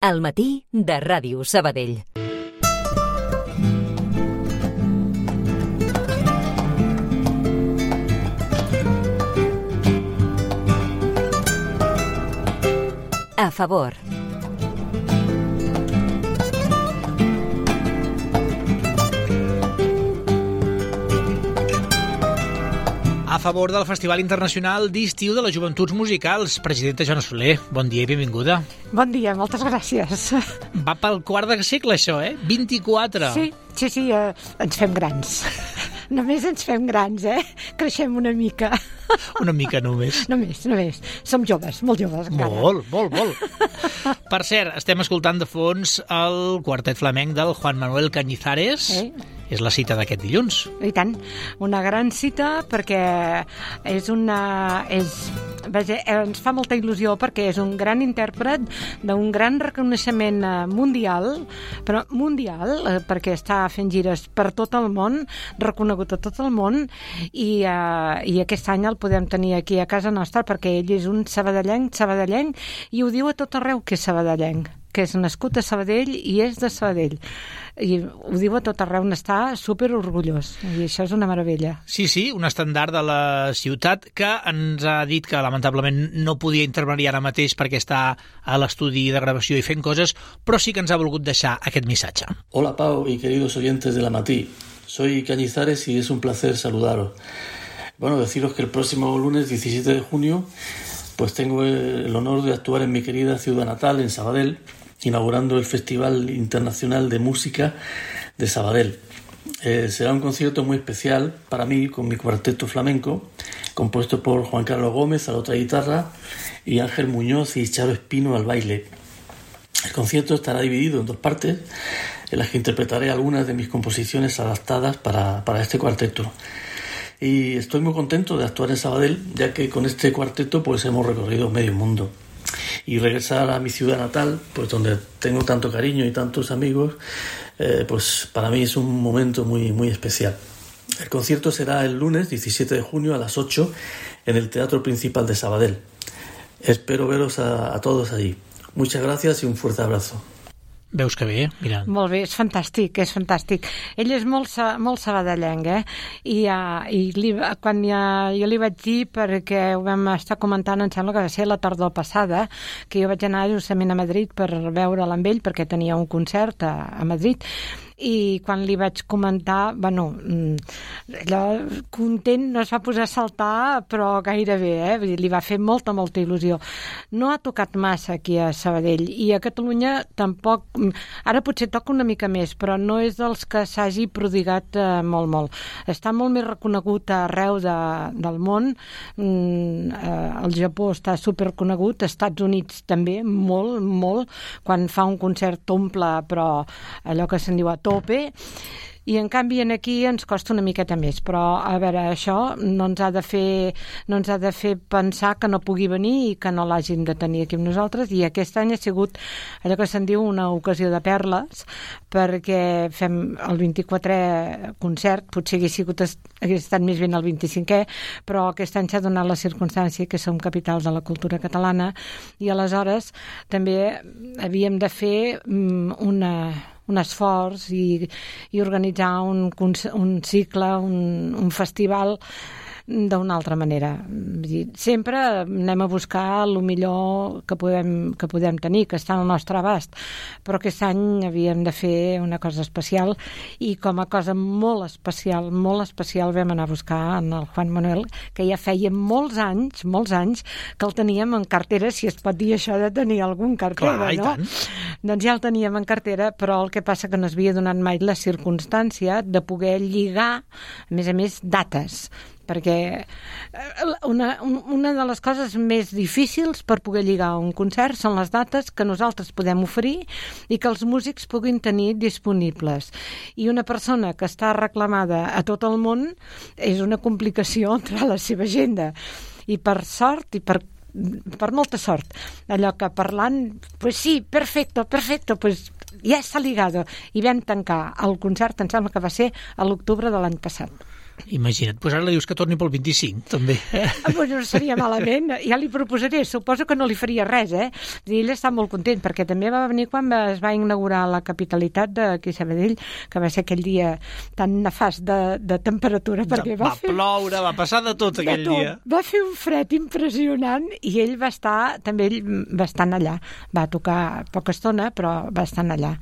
Al matí de Ràdio Sabadell. A favor. A favor del Festival Internacional d'Estiu de les Joventuts Musicals. Presidenta Joana Soler, bon dia i benvinguda. Bon dia, moltes gràcies. Va pel quart de segle, això, 24. Sí, ens fem grans. Només ens fem grans, Creixem una mica. Una mica només. Només. Som joves, molt joves encara. Molt. Per cert, estem escoltant de fons el quartet flamenc del Juan Manuel Cañizares. És la cita d'aquest dilluns. I tant, una gran cita perquè ens fa molta il·lusió perquè és un gran intèrpret d'un gran reconeixement mundial, però mundial, perquè està fent gires per tot el món, reconegut a tot el món, i aquest any el podem tenir aquí a casa nostra perquè ell és un sabadellenc, i ho diu a tot arreu que és sabadellenc, que és nascut a Sabadell i és de Sabadell. I ho diu a tot arreu, n'està superorgullós, i això és una meravella. Sí, un estandard de la ciutat que ens ha dit que lamentablement no podia intervenir ara mateix perquè està a l'estudi de gravació i fent coses, però sí que ens ha volgut deixar aquest missatge. Hola Pau y queridos oyentes de La Matí, soy Cañizares y es un placer saludaros. Bueno, deciros que el próximo lunes 17 de junio pues tengo el honor de actuar en mi querida ciudad natal, en Sabadell, inaugurando el Festival Internacional de Música de Sabadell. Será un concierto muy especial para mí con mi cuarteto flamenco, compuesto por Juan Carlos Gómez a la otra guitarra y Ángel Muñoz y Charo Espino al baile. El concierto estará dividido en dos partes, en las que interpretaré algunas de mis composiciones adaptadas para este cuarteto. Y estoy muy contento de actuar en Sabadell, ya que con este cuarteto pues hemos recorrido medio mundo. Y regresar a mi ciudad natal, pues donde tengo tanto cariño y tantos amigos, pues para mí es un momento muy especial. El concierto será el lunes 17 de junio a las 8 en el Teatro Principal de Sabadell. Espero veros a todos allí. Muchas gracias y un fuerte abrazo. Veus que bé, mira. Molt bé, és fantàstic. Ell és molt sabadellenc, I quan jo li vaig dir, perquè ho vam estar comentant, em sembla que va ser la tardor passada, que jo vaig anar justament a Madrid per veure'l amb ell, perquè tenia un concert a Madrid, i quan li vaig comentar, allò content, no es va posar a saltar, però gairebé, Vull dir, li va fer molta il·lusió. No ha tocat massa aquí a Sabadell, i a Catalunya tampoc, ara potser toca una mica més, però no és dels que s'hagi prodigat molt. Està molt més reconegut arreu del món, el Japó està superconegut, als Estats Units també, molt, quan fa un concert omple, però allò que se'n diu a tope, i en canvi aquí ens costa una miqueta més, però a veure, això no ens ha de fer pensar que no pugui venir i que no l'hagin de tenir aquí amb nosaltres, i aquest any ha sigut allò que se'n diu una ocasió de perles, perquè fem el 24è concert, potser hagués estat més ben el 25è, però aquest any s'ha donat la circumstància que som capital de la cultura catalana, i aleshores també havíem de fer un esforç i organitzar un cicle, un festival d'una altra manera. Sempre anem a buscar el millor que podem tenir, que està al nostre abast, però aquest any havíem de fer una cosa especial, i com a cosa molt especial vam anar a buscar en el Juan Manuel, que ja feia molts anys que el teníem en cartera, si es pot dir això de tenir algun cartera. Clar, no? I tant. Doncs ja el teníem en cartera, però el que passa que no es havia donat mai la circumstància de poder lligar, a més, dates, perquè una de les coses més difícils per poder lligar un concert són les dates que nosaltres podem oferir i que els músics puguin tenir disponibles. I una persona que està reclamada a tot el món és una complicació entre la seva agenda. I per sort, i per molta sort, allò que parlant, pues sí, perfecto, pues ya está ligado. I vam tancar el concert, em sembla que va ser a l'octubre de l'any passat. Imagina't, doncs ara li dius que torni pel 25, també. Bueno, no seria malament, ja li proposaré, suposo que no li faria res, Ell està molt content, perquè també va venir quan es va inaugurar la capitalitat d'aquí Sabadell, que va ser aquell dia tan nefast de temperatura, perquè va ploure, va passar de tot aquell dia. Va fer un fred impressionant i ell va estar, també ell bastant allà. Va tocar poca estona, però bastant allà.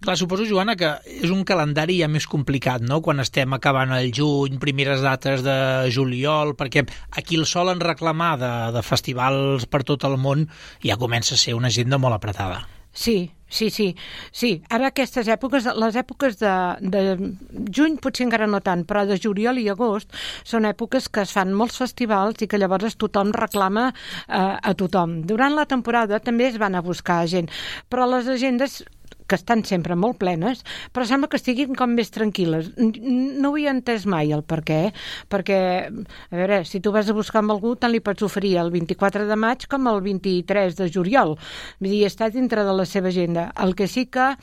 Clar, suposo, Joana, que és un calendari ja més complicat, no?, quan estem acabant el juny, primeres dates de juliol, perquè aquí el solen reclamar de festivals per tot el món ja comença a ser una agenda molt apretada. Sí. Ara aquestes èpoques, les èpoques de juny potser encara no tant, però de juliol i agost són èpoques que es fan molts festivals i que llavors tothom reclama a tothom. Durant la temporada també es van a buscar gent, però les agendes que estan sempre molt plenes, però sembla que estiguin com més tranquil·les. No ho he entès mai el per què, perquè, a veure, si tu vas a buscar amb algú, tant li pots oferir el 24 de maig com el 23 de juliol. Vull dir, està dintre de la seva agenda. El que sí que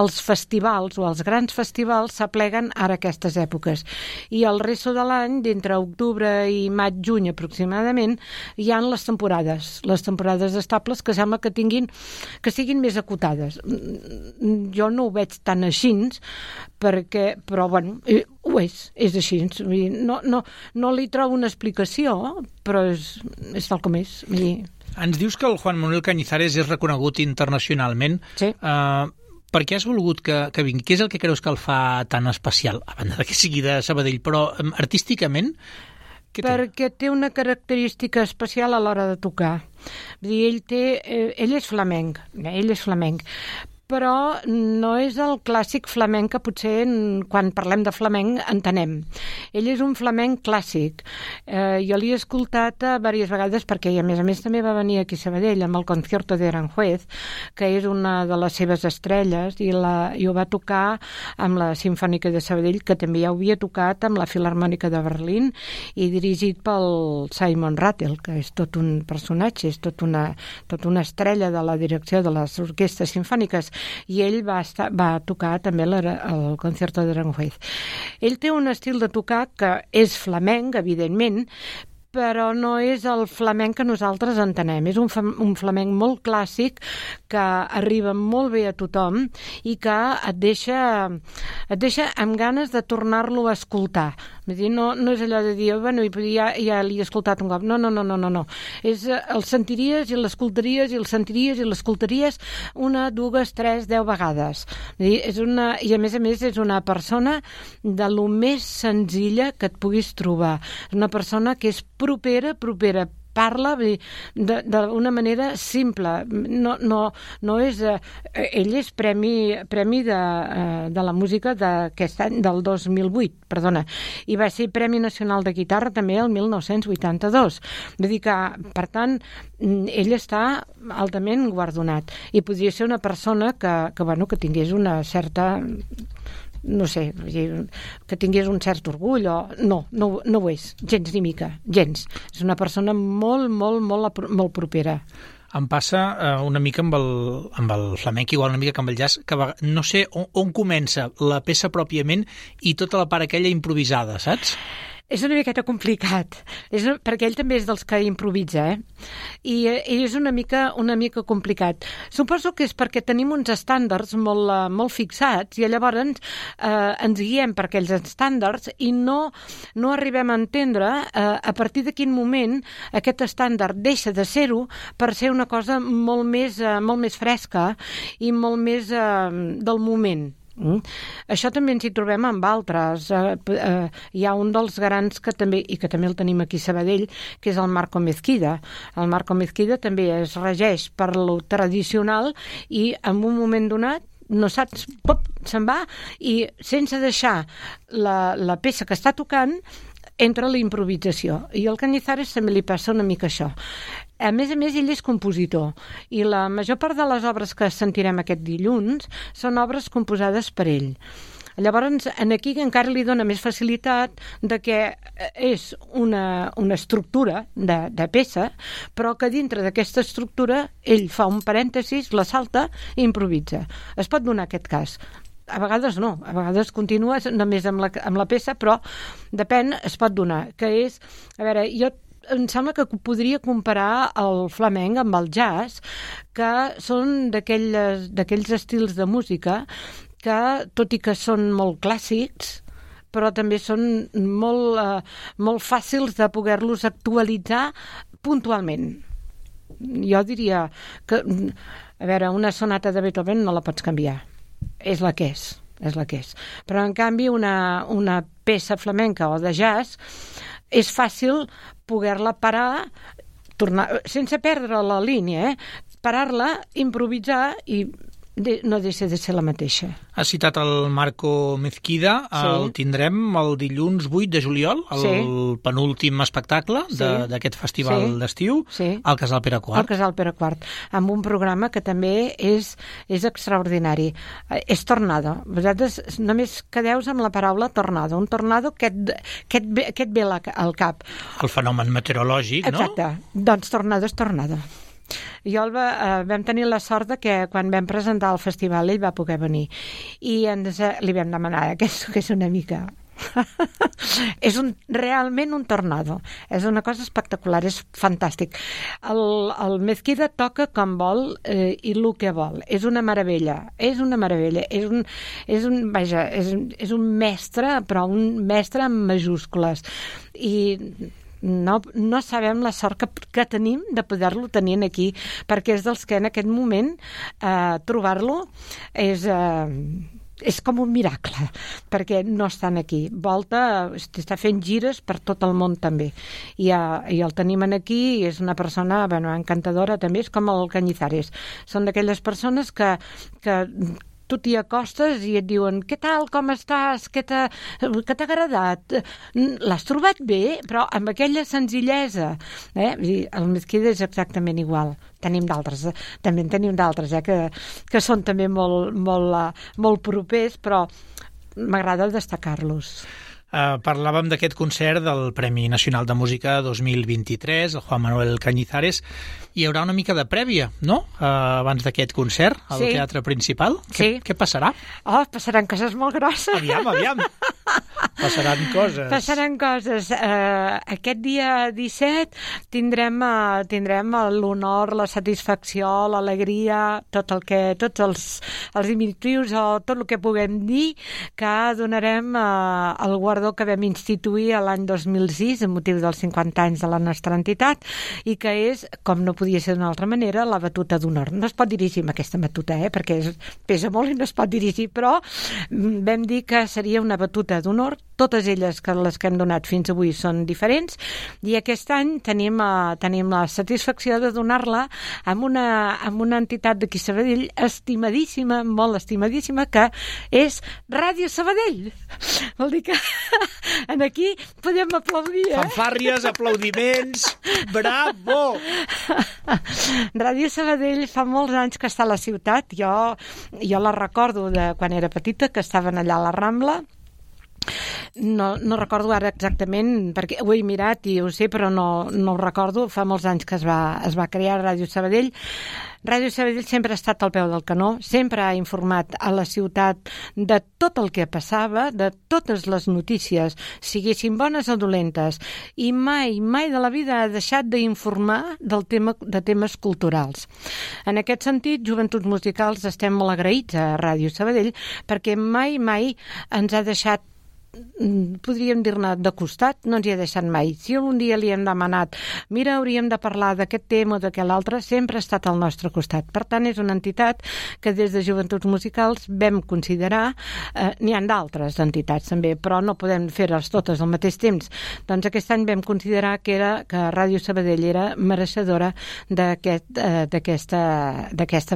els festivals o els grans festivals s'apleguen ara aquestes èpoques. I el resto de l'any, d'entre octubre i maig-juny aproximadament, hi ha les temporades estables que sembla que siguin més acotades. Jo no ho veig tan així, però bueno, ho és així. No li trobo una explicació, però és tal com és. Ens dius que el Juan Manuel Cañizares és reconegut internacionalment. Sí. Per què has volgut que vingui? Què és el que creus que el fa tan especial? A banda de que sigui de Sabadell, però artísticament... Perquè té una característica especial a l'hora de tocar. Vull dir, ell és flamenc, però no és el clàssic flamenc que potser quan parlem de flamenc entenem. Ell és un flamenc clàssic. Jo l'he escoltat diverses vegades perquè, a més també va venir aquí a Sabadell amb el Concierto de Aranjuez, que és una de les seves estrelles, i ho va tocar amb la Simfònica de Sabadell, que també ja ho havia tocat amb la Filharmònica de Berlín i dirigit pel Simon Rattle, que és tot un personatge, és tot una estrella de la direcció de les orquestres simfòniques, i ell va tocar també el Concierto de Aranjuez. Ell té un estil de tocar que és flamenc, evidentment, però no és el flamenc que nosaltres entenem. És un flamenc molt clàssic que arriba molt bé a tothom i que et deixa amb ganes de tornar-lo a escoltar. Vull dir, no és allò de dir, bueno, ja l'he escoltat un cop. No. El sentiries i l'escoltaries i el sentiries i l'escoltaries 1, 2, 3, 10 vegades. Vull dir, i a més és una persona de lo més senzilla que et puguis trobar. És una persona que és propera, parla d'una manera simple. No és... Ell és premi de la música d'aquest any, del 2008, perdona, i va ser Premi Nacional de Guitarra també el 1982. Vull dir que, per tant, ell està altament guardonat. I podria ser una persona que tingués una certa... no sé, que tingués un cert orgull o... No ho és, gens ni mica, gens. És una persona molt propera. Em passa una mica amb el flamenc, igual una mica que amb el jazz, que no sé on comença la peça pròpiament i tota la part aquella improvisada, saps? És una miqueta complicat, perquè ell també és dels que improvisa, I és una mica complicat. Suposo que és perquè tenim uns estàndards molt fixats i llavors ens guiem per aquells estàndards i no arribem a entendre a partir de quin moment aquest estàndard deixa de ser-ho per ser una cosa molt més fresca i molt més del moment. Això també ens hi trobem amb altres. Hi ha un dels grans que també el tenim aquí a Sabadell, que és el Marco Mezquida. El Marco Mezquida també es regeix per lo tradicional i en un moment donat no saps, se'n va i sense deixar la peça que està tocant entra la improvisació. I al Cañizares també li passa una mica això. A més, ell és compositor i la major part de les obres que sentirem aquest dilluns són obres composades per ell. Llavors, aquí encara li dona més facilitat de que és una estructura de peça, però que dintre d'aquesta estructura ell fa un parèntesis, la salta i improvisa. Es pot donar aquest cas. a vegades no, a vegades continues només amb la peça, però depèn, es pot donar, que és, a veure, em sembla que podria comparar el flamenc amb el jazz, que són d'aquells estils de música que, tot i que són molt clàssics, però també són molt fàcils de poder-los actualitzar puntualment. Jo diria que, a veure, una sonata de Beethoven no la pots canviar. És la que és. Però, en canvi, una peça flamenca o de jazz és fàcil poder-la parar, sense perdre la línia, parar-la, improvisar i no deixa de ser la mateixa. Has citat el Marco Mezquida, el tindrem el dilluns 8 de juliol, el penúltim espectacle d'aquest festival d'estiu, al Casal Pere IV. Al Casal Pere IV, amb un programa que també és extraordinari. És Tornado. Vosaltres només quedeu amb la paraula tornado. Un tornado que et ve al cap. El fenomen meteorològic, no? Exacte. Doncs tornado és tornado. Jo vam tenir la sort que quan vam presentar el festival ell va poder venir i li vam demanar que és una mica és realment un tornado, és una cosa espectacular, és fantàstic. El Mezquida toca com vol i el que vol, és una meravella, és un mestre, però un mestre amb majúscules, i no sabem la sort que tenim de poder-lo tenir aquí, perquè és dels que en aquest moment trobar-lo és com un miracle, perquè no estan aquí. Volta, està fent gires per tot el món també, i el tenim aquí, i és una persona encantadora també, és com el Cañizares. Són d'aquelles persones que tu t'hi acostes i et diuen què tal, com estàs, què t'ha agradat, l'has trobat bé, però amb aquella senzillesa. El Mezquida és exactament igual. També en tenim d'altres, que són també molt propers, però m'agrada destacar-los. Parlàvem d'aquest concert del Premi Nacional de Música 2023, el Juan Manuel Cañizares. Hi haurà una mica de prèvia, no?, abans d'aquest concert al Teatre Principal. Què passarà? Passaran coses molt grosses. Aviam. Passaran coses. Aquest dia 17 tindrem l'honor, la satisfacció, l'alegria, tots els diminutius o tot el que puguem dir, que donarem el guardó que vam instituir l'any 2006 amb motiu dels 50 anys de la nostra entitat, i que és, com no podia ser d'una altra manera, la batuta d'honor. No es pot dirigir amb aquesta batuta, perquè pesa molt i no es pot dirigir, però vam dir que seria una batuta d'honor. Totes elles, les que hem donat fins avui, són diferents, i aquest any tenim la satisfacció de donar-la amb una entitat d'aquí Sabadell estimadíssima, molt estimadíssima, que és Ràdio Sabadell. Vol dir que aquí podem aplaudir, Fanfàrries, aplaudiments, bravo! Ràdio Sabadell fa molts anys que està a la ciutat. Jo la recordo de quan era petita, que estaven allà a la Rambla. No recordo ara exactament, perquè ho he mirat i ho sé, però no ho recordo. Fa molts anys que es va crear Ràdio Sabadell. Ràdio Sabadell sempre ha estat al peu del canó, sempre ha informat a la ciutat de tot el que passava, de totes les notícies, siguessin bones o dolentes, i mai de la vida ha deixat d'informar de temes culturals. En aquest sentit, Joventuts Musicals estem molt agraïts a Ràdio Sabadell, perquè mai ens ha deixat, podríem dir-ne, de costat, no ens hi ha deixat mai. Si un dia li hem demanat, mira, hauríem de parlar d'aquest tema o d'aquest altre, sempre ha estat al nostre costat. Per tant, és una entitat que des de Joventuts Musicals vam considerar, n'hi ha d'altres entitats també, però no podem fer-les totes al mateix temps. Doncs aquest any vam considerar que Ràdio Sabadell era mereixedora d'aquesta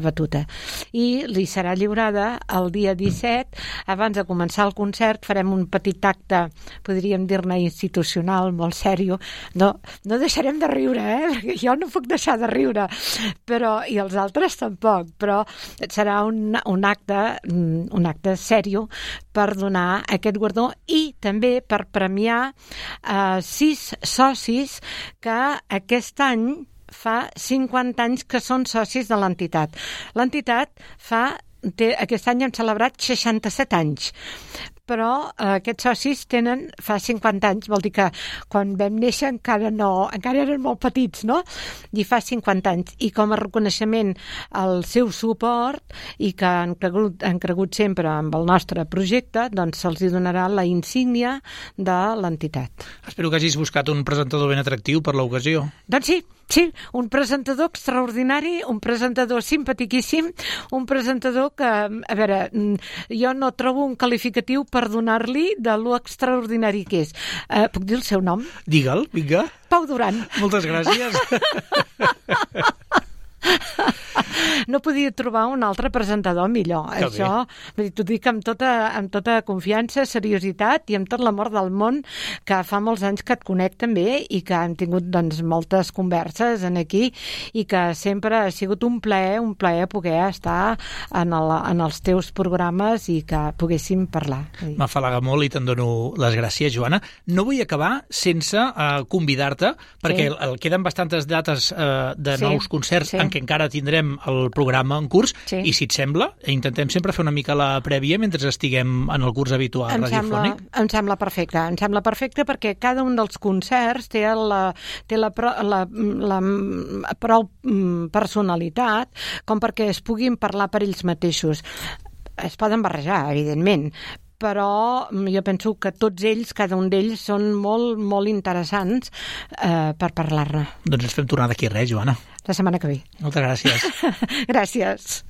batuta. I li serà lliurada el dia 17, abans de començar el concert, farem un petit acte, podríem dir-ne institucional, molt sèrio. No deixarem de riure, perquè jo no puc deixar de riure, i els altres tampoc, però serà un acte sèrio per donar aquest guardó, i també per premiar 6 socis que aquest any fa 50 anys que són socis de l'entitat. L'entitat fa aquest any hem celebrat 67 anys. Però aquests socis tenen fa 50 anys, vol dir que quan vam néixer encara eren molt petits, no? I fa 50 anys. I com a reconeixement al seu suport i que han cregut sempre amb el nostre projecte, doncs se'ls donarà la insígnia de l'entitat. Espero que hagis buscat un presentador ben atractiu per l'ocasió. Doncs sí, un presentador extraordinari, un presentador simpatiquíssim, un presentador que, a veure, jo no trobo un qualificatiu per donar-li de lo extraordinari que és. Puc dir el seu nom? Digue'l, vinga. Pau Duran. Moltes gràcies. No podia trobar un altre presentador millor. Que això, t'ho dic amb tota confiança, seriositat i amb tot l'amor del món, que fa molts anys que et conec també i que hem tingut doncs, moltes converses en aquí i que sempre ha sigut un plaer poder estar en els teus programes i que poguéssim parlar. M'afalaga molt i te'n dono les gràcies, Joana. No vull acabar sense convidar-te, perquè queden bastantes dates de nous concerts en què encara tindrem el programa en curs, i si et sembla, intentem sempre fer una mica la prèvia mentre estiguem en el curs habitual radiofònic. Em sembla perfecte perquè cada un dels concerts té la prou personalitat com perquè es puguin parlar per ells mateixos. Es poden barrejar, evidentment, però jo penso que tots ells, cada un d'ells, són molt, molt interessants per parlar-ne. Doncs ens fem tornar d'aquí res, Joana. La setmana que ve. Moltes gràcies. Gràcies.